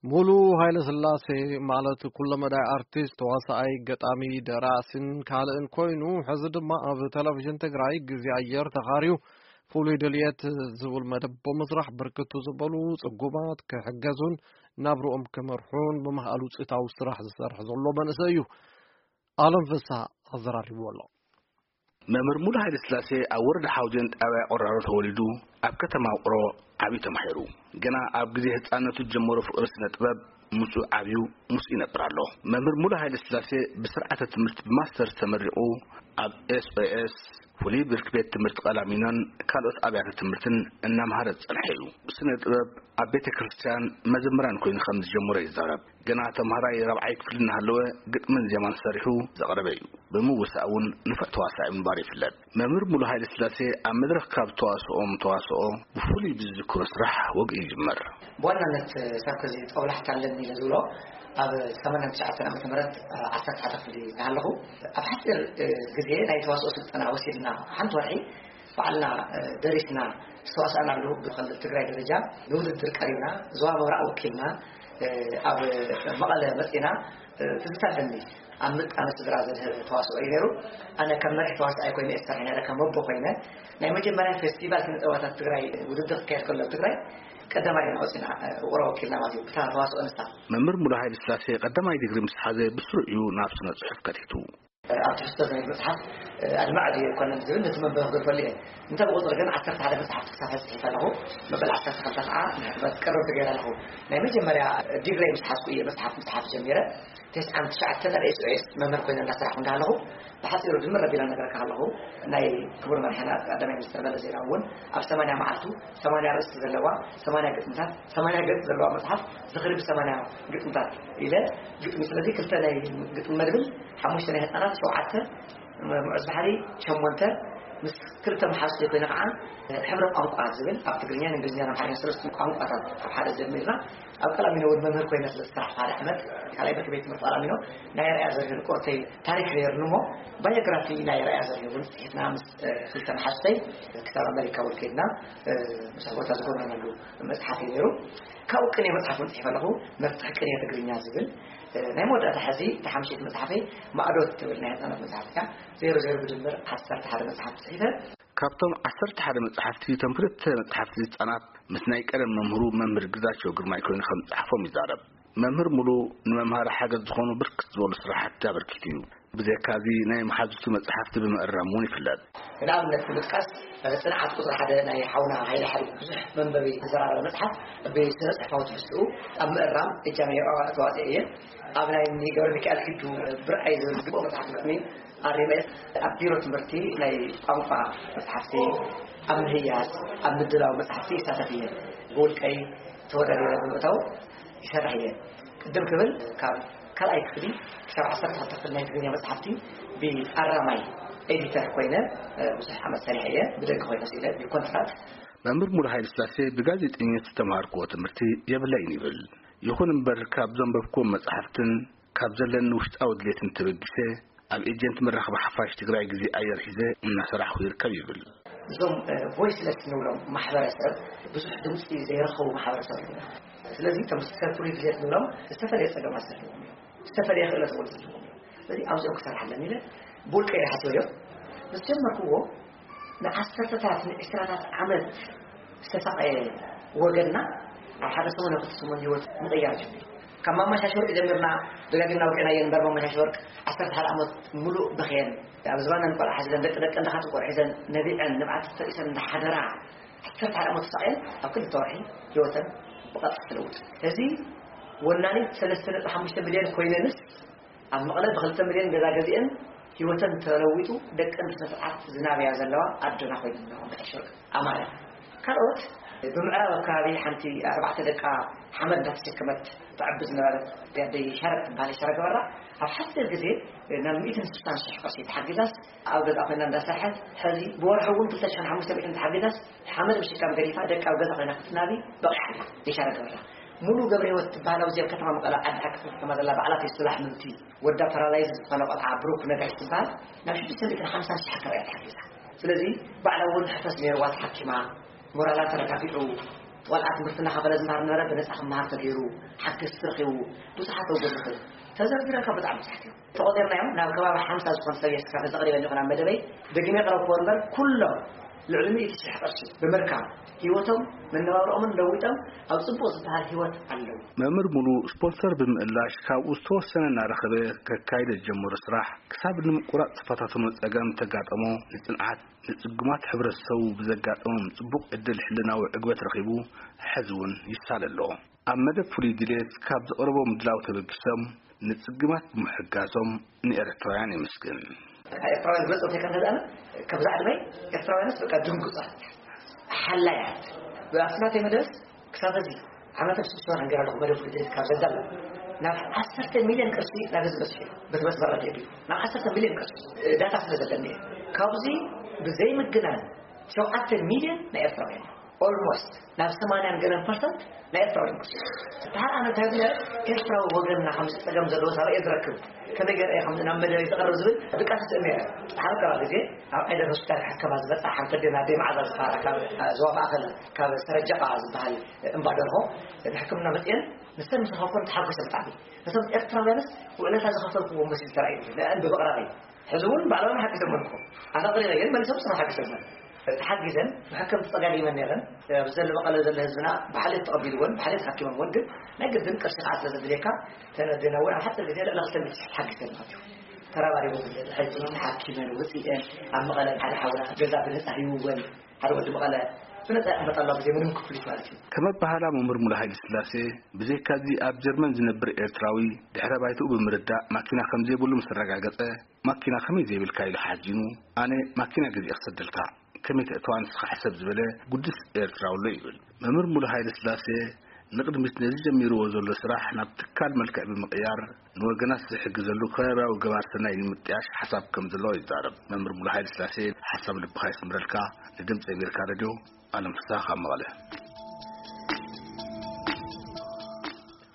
ሙሉ ሃይለ ስላሴ ማለት ኩለመዳይ ኣርቲስት፣ ተዋሳኣይ፣ ገጣሚ፣ ደራሲን ካልእን ኮይኑ፣ ሕዚ ድማ ኣብ ቴሌቪዥን ትግራይ ግዜ ኣየር ተኻርዩ ፍሉይ ድልየት ዝብል መደብ ብምስራሕ ብርክቱ ዝበሉ ጽጉማት ክሕገዙን ናብርኦም ክመርሑን ብምኽኣል ውፅኢታዊ ስራሕ ዝሰርሕ ዘሎ መንእሰይ እዩ። ኣለም ፍስሃ ኣዘራሪብዎ ኣሎ። መምህር ሙሉ ሃይለ ስላሴ ኣብ ወረዳ ሓውዜን ጣብያ ቆራሮ ተወሊዱ ኣብ ከተማ ውቅሮ ዓብዩ ተማሂሩ። ገና ኣብ ግዜ ህፃነቱ ዝጀመሮ ፍቅሪ ስነ ጥበብ ምስኡ ዓብዩ ምስኡ ይነብር ኣሎ። መምህር ሙሉ ሃይለ ስላሴ ብስርዓተ ትምህርቲ ብማስተርስ ተመሪቑ ኣብ ኤስኦኤስ ፍሉይ ብርኪ ቤት ትምህርቲ ቀላሚኖን ካልኦት ኣብያተ ትምህርትን እናምሃረ ዝጸንሐ እዩ። ስነ ጥበብ ኣብ ቤተ ክርስቲያን መዘምራን ኮይኑ ከም ዝጀመረ ይዛረብ። ገና ተምሃራይ ራብዓይ ክፍሊ እናሃለወ ግጥምን ዜማን ሰሪሑ ዘቕረበ እዩ። ብምውሳእ እውን ንፉዕ ተዋሳኢ ምንባሩ ይፍለጥ። መምህር ሙሉ ሃይለ ስላሴ ኣብ መድረኽ ካብ ተዋስኦም ተዋስኦ ብፍሉይ ብዝዝክሮ ስራሕ ወግኢ ይጅመር። ብዋናነት ሳብ ከዚ ጦብላሕታ ኣለኒ ኢለ ዝብሎ ኣብ ሰማንያን ትሽዓተን ዓመተ ምህረት ዓሰርተ ሓደ ክፍሊ እናሃለኹ ኣብ ሓፂር ግዜ ናይ ተዋስኦ ስልጠና ወሲድና ሓንቲ ወርሒ ባዕልና ደሪስና ዝተዋሳእናሉ ብክልል ትግራይ ደረጃ ንውድድር ቀሪብና ዞባ ምብራቕ ወኪልና ኣብ መቐለ መፂና ትዝታ ኣለኒ። ኣብ ምጣነ ስድራ ዘድህበ ተዋስኦ እዩ ነይሩ። ኣነ ከም መሪሕ ተዋሳኣይ ኮይነ እየ ዝሰርሐ ነይረ፣ ከም ወቦ ኮይነ። ናይ መጀመርያ ፌስቲቫል ስነ ጥበባታት ትግራይ ውድድር ክካየድ ከሎ ኣብ ትግራይ ቀዳማይ ኢና ወፂና፣ ውቕሮ ወኪልና ማለት እዩ። ብታ ተዋስኦ ንሳ መምህር ሙሉ ሃይለ ስላሴ ቀዳማይ ዲግሪ ምስ ሓዘ ብስሩ እዩ ናብ ስነ ጽሑፍ ከቲቱ። ኣብ ትሕዝቶ ናይ መጽሓፍ ኣድማዕ ድዩ ኣይኮነን ዝብል ነቲ መንበቢ ክገድፈሉ እየ። እንተ ብቑፅሪ ግን ዓሰርተ ሓደ መጽሓፍቲ ክሳብ ሕዚ ጽሒፈ ኣለኹ። መበል ዓሰርተ ክልተ ከዓ ናይ ሕትመት ቀረብ ተገይረ ኣለኹ። ናይ መጀመርያ ዲግሪ ምስ ሓዝኩ እየ መጽሓፍ ምጽሓፍ ጀሚረ። ተስዓን ትሽዓተን ኣብ ኤስኦኤስ መምህር ኮይነ እንዳሰራሕኩ እንዳሃለኹ፣ ብሓፂሩ ድምር ኣቢለ ነገረካ ኣለኹ። ናይ ክቡር መራሕና ቀዳማይ ሚኒስትር መለስ ዜናዊ እውን ኣብ ሰማንያ መዓልቱ ሰማንያ ኣርእስቲ ዘለዋ፣ ሰማንያ ግጥምታት፣ ሰማንያ ገፅ ዘለዋ መፅሓፍ ዝኽሪ ብሰማንያ ግጥምታት ኢለ ግጥሚ። ስለዚ ክልተ ናይ ግጥሚ መድብል፣ ሓሙሽተ ናይ ህፃናት፣ ሸውዓተ ምዑዝ ባሕሪ፣ ሸሞንተ ምስ ክልተ መሓዙተይ ኮይነ ከዓ ሕብረ ቋንቋ ዝብል ኣብ ትግርኛን እንግሊዝኛን ኣምሓርኛን ሰለስተ ቋንቋታት ኣብ ሓደ ዘድሚርና ኣብ ቀላሚኖ እውን መምህር ኮይነ ስለ ዝሰራሕኩ ሓደ ዓመት ካልኣይ ብርኪ ቤት ትምህርቲ ቀላሚኖ ናይ ኣርኣያ ዘርሂ ቁርተይ ታሪክ ነይሩኒ እሞ ባዮግራፊ ናይ ኣርኣያ ዘርሂ እውን ፅሒፍና ምስ ክልተ መሓዙተይ ክሳብ ኣመሪካ እውን ከይድና ብዙሕ ቦታ ዝጎብነናሉ መፅሓፍ እዩ ነይሩ። ካብኡ ቅኔ መፅሓፍ እውን ፅሒፈ ኣለኹ። መፍትሒ ቅኔ ትግርኛ ዝብል ናይ መወዳእታ ሕዚ ተሓምሽት መፅሓፈይ ማእዶት ትብል ናይ ህፃናት መፅሓፍ እያ። ዜሮ ዜሮ ብድምር ዓሰርተ ሓደ መፅሓፍ ፅሒፈ። ካብቶም ዓሰርተ ሓደ መፅሓፍቲ እቶም ክልተ መፅሓፍቲ ህፃናት ምስ ናይ ቀደም መምህሩ መምህር ግዛቸው ግርማይ ኮይኑ ከም ዝፀሓፎም ይዛረብ። መምህር ሙሉ ንመምሃሪ ሓገዝ ዝኾኑ ብርክት ዝበሉ ስራሕቲ ኣበርኪቱ እዩ። ብዘካዚ ናይ መሓዙቱ መፅሓፍቲ ብምእራም እውን ይፍለጥ። ንኣብነት ንምጥቃስ፣ ፅንዓት ቁፅሪ ሓደ ናይ ሓውና ሃይለ ሓይሉ ብዙሕ መንበቢ ዝተዘራረበ መፅሓፍ ብስነ ፅሑፋዊ ትሕዝትኡ ኣብ ምእራም እጃመይ ተዋፅኦ እየ። ኣብ ናይ እኒ ገብረ ሚካኤል ኪዱ ብርኣይ ዝብል ዝግብኦ መፅሓፍ ግጥሚ ኣሪመ እየ። ኣብ ቢሮ ትምህርቲ ናይ ቋንቋ መፅሓፍቲ ኣብ ምህያስ ኣብ ምድላው መፅሓፍቲ ይሳተፍ እየ። ብውልቀይ ተወዳዲረ ብምእታው ይሰርሕ እየ። ቅድም ክብል ካብ ካልኣይ ክፍሊ ክሳብ ዓሰርተ ክልተ ክፍሊ ናይ ትግርኛ መፅሓፍቲ ብኣራማይ ኤዲተር ኮይነ ብዙሕ ዓመት ሰሪሐ እየ። ብደገ ኮይነ ስኢነ ብኮንትራት። መምህር ሙሉ ሃይለ ስላሴ ብጋዜጠኝነት ዝተምሃርክዎ ትምህርቲ የብለይን ይብል። ይኹን እምበር ካብ ዘንበብክዎም መፅሓፍትን ካብ ዘለኒ ውሽጣዊ ድሌትን ተበጊሰ ኣብ ኤጀንት መራኸቢ ሓፋሽ ትግራይ ግዜ ኣየር ሒዘ እናሰራሕኩ ይርከብ ይብል። እዞም ቮይስለስ ንብሎም ማሕበረሰብ ብዙሕ ድምፂ ዘይረኸቡ ማሕበረሰብ እዮም። ስለዚ ከም ሰብ ፍሉይ ድሌት ንብሎም ዝተፈለየ ፀገማት ዘለዎም እዮም። ዝተፈለየ ክእለት እውን ዘለዎም እዮም። ስለዚ ኣብዚኦም ክሰርሕ ኣለኒ ኢለ ብውልቀ ኢለ ሓሲበዮ ምስ ጀመርክዎ ንዓሰርተታት ንዕስራታት ዓመት ዝተሳቐየ ወገንና ኣብ ሓደ ሰሙን ኣብ ክልተ ሰሙን ህይወት ምቕያር ጀሚሩ። ካብ ማማ ሻሽ ወርቂ ጀሚርና ደጋጊምና ወቂዕናየን እምበር ማማ ሻሽ ወርቅ ዓሰርተ ሓደ ዓመት ሙሉእ በኽየን ኣብ ዝባነን ቆልዓ ሒዘን ደቂ ደቂ እንዳኻት ቆልዓ ሒዘን ነቢዐን ንብዓት ተሪሰን እንዳሓደራ ዓሰርተ ሓደ ዓመት ተሳቕየን ኣብ ክልተ ወርሒ ህይወተን ብቐጥታ ተለውጡ። እዚ ወናኒት ሰለስተ ነጥቢ ሓሙሽተ ሚልዮን ኮይነንስ ኣብ መቐለ ብክልተ ሚልዮን ገዛ ገዚአን ህይወተን ተለዊጡ ደቀን ብስነ ስርዓት ዝናብያ ዘለዋ ኣዶና ኮይነን ኣለዋ። ማማ ሻሽ ወርቅ ኣማረ ካልኦት ብምዕራብ ኣብ ከባቢ ሓንቲ ኣርባዕተ ደቃ ሓመድ እንዳተሸከመት ተዕቢ ዝነበረት ኣደይ ሻረግ ትበሃል። ሻረግ ኣበራ ኣብ ሓፂር ግዜ ናብ ሚእትን ስልሳን ሽሕ ቅርሺ ተሓጊዛስ ኣብ ገዛ ኮይና እንዳሰርሐት ሕዚ ብወርሒ እውን ክልተ ሽሕን ሓሙሽተ ሚእትን ተሓጊዛስ ሓመድ ምሽካም ገዲፋ ደቃ ኣብ ገዛ ኮይና ክትናቢ በቒዓ ኣላ። ሻረግ ኣበራ ሙሉ ገብረ ህይወት ትበሃል ኣብዚ ኣብ ከተማ መቐለ ዓዲ ሓቂ ከተማ ዘላ ባዕላ ፌስቲቫል ሕምምቲ ወዳ ፓራላይዝ ዝኾነ ቆልዓ ብሩክ ነጋሽ ትበሃል ናብ ሽዱሽተ ሚእትን ሓምሳን ሽሕ ኣከባቢ እያ ተሓጊዛ። ስለዚ ባዕላ እውን ሕፈስ ነይርዋ ተሓኪማ ሞራላ ተረጋጊዑ ቆልዓ ትምህርቲ እናኸፈለ ዝመሃር ነበረ፣ ብነፃ ክመሃር ተገይሩ፣ ሓገዝቲ ረኺቡ፣ ብዙሓት ኣውገዝቲ ተዘርዚረካ ብጣዕሚ ብዙሓት እዮም። ተቆፂርና እዮም ናብ ከባቢ ሓምሳ ዝኾን ሰብ እየ ስካብ ዘቕሪበ ኣለኹ ናብ መደበይ። ደጊመ የቕረብኩዎ እምበር ኩሎም ልዕሊ ሚእቲ ሽሕ ቅርሺ ብምርካብ ህይወቶም መነባብሮኦምን ለዊጦም ኣብ ፅቡቕ ዝበሃል ህይወት ኣለዉ። መምህር ሙሉ ስፖንሰር ብምእላሽ ካብኡ ዝተወሰነ እናረኸበ ከካይደ ዝጀመሮ ስራሕ ክሳብ ንምቁራፅ ዝተፈታተኖ ፀገም ተጋጠሞ። ንፅንዓት ንፅጉማት ሕብረተሰቡ ብዘጋጠሞም ፅቡቕ ዕድል ሕልናዊ ዕግበት ረኺቡ ሕዚ እውን ይሳለ ኣሎ። ኣብ መደብ ፍሉይ ድሌት ካብ ዘቕረቦ ምድላው ተበጊሶም ንፅግማት ብምሕጋዞም ንኤርትራውያን የመስግን። ኤርትራውያን ዝበለፀ እንታይ ከም ዘድኣነ ከብዛ ዕድመይ ኤርትራውያንስ በቃ ድንጉፃት ሓላያት ብኣስናተይ መደብስ ክሳብ እዚ ዓመተ ስድስተ ወርሒ ገይረ ኣለኹ መደብ ፍሉይ ድሌት ካብ ዘዳለ ናብ ዓሰርተ ሚልዮን ቅርሺ ናብ ህዝቢ በፂሑ እዩ። በቲ መስመር ረድዮ ድዩ ናብ ዓሰርተ ሚልዮን ቅርሺ ዳታ ስለ ዘለኒ እየ። ካብዚ ብዘይምግናን ሸውዓተ ሚልዮን ናይ ኤርትራውያን ኦልሞስት ናብ ሰማንያን ገለን ፐርሰንት ናይ ኤርትራውያን ቅርሺ። ድሓር ኣነ እንታይ ብለ ኤርትራዊ ወገንና ከምዚ ፀገም ዘለዎ ሳበ እየ ዝረክብ ከመይ ገይረ እየ ከምዚ ናብ መደበይ ዝቐርብ ዝብል ድቃስ ስእኒ እየ። ድሓር ቀባ ግዜ ኣብ ዓይደር ሆስፒታል ሕከማ ዝመፃ ሓንቲ ኣዴና ኣደይ መዓዛ ዝበሃላ ካብ ዞባ ማእኸል ካብ ሰረጀቓ ዝበሃል እምባ ደርሆ ንሕክምና መፅአን ንሰን ምስ ረኸብኩን ተሓጒሰ ብጣዕሚ። ነቶም ኤርትራውያንስ ውዕለታ ዝኸፈልኩዎ መሲሉ ተራእዩ ንአን ብምቕራበይ ሕዚ እውን ባዕሎም ሓጊዞም ኣለኹ። ኣነ ኣቕሪበየን መሊሶም ስም ሓጊዞም ተሓጊዘን ብሕክም ተፀጋጊመን ነይረን። ኣብዚ ዘሎ መቐለ ዘሎ ህዝብና ብሓልዮት ተቐቢልወን ብሓልዮት ሓኪሞምወን ግን ናይ ግድን ቅርሺ ከዓ ስለ ዘድልየካ ተነዴና እውን ኣብ ሓፂር ግዜ ልዕሊ ክልተ ሚእቲ ሽሕ ተሓጊዘን ማለት እዩ። ተራባሪቦም ሕክምን ሓኪመን ውፅኢተን ኣብ መቐለ ሓደ ሓውና ገዛ ብነፃ ሂውወን ሓደ ወዲ መቐለ ብነፃ ይቕመጥ ኣሎ ብዘይ ምንም ክፍሊት ማለት እዩ። ከም ኣባህላ መምህር ሙሉ ሃይለ ስላሴ ብዘይካዚ ኣብ ጀርመን ዝነብር ኤርትራዊ ድሕረ ባይትኡ ብምርዳእ ማኪና ከም ዘይብሉ ምስ ኣረጋገጸ ማኪና ከመይ ዘይብልካ ኢሉ ሓዚኑ ኣነ ማኪና ገዚኤ ክሰደልካ ከመይ ተእተዋ ንስኻ ሕሰብ ዝበለ ጉዱስ ኤርትራዊ ኣሎ ይብል። መምህር ሙሉ ሃይለ ስላሴ ንቕድሚት ነዚ ጀሚርዎ ዘሎ ስራሕ ናብ ትካል መልክዕ ብምቕያር ንወገናት ዝሕግዘሉ ከባብያዊ ገባር ሰናይ ንምጥያሽ ሓሳብ ከም ዘለዎ ይዛረብ። መምህር ሙሉ ሃይለ ስላሴ ሓሳብ ልብኻ ይስምረልካ። ንድምፂ ኣሜሪካ ሬድዮ ኣለም ፍስሃ ካብ መቐለ።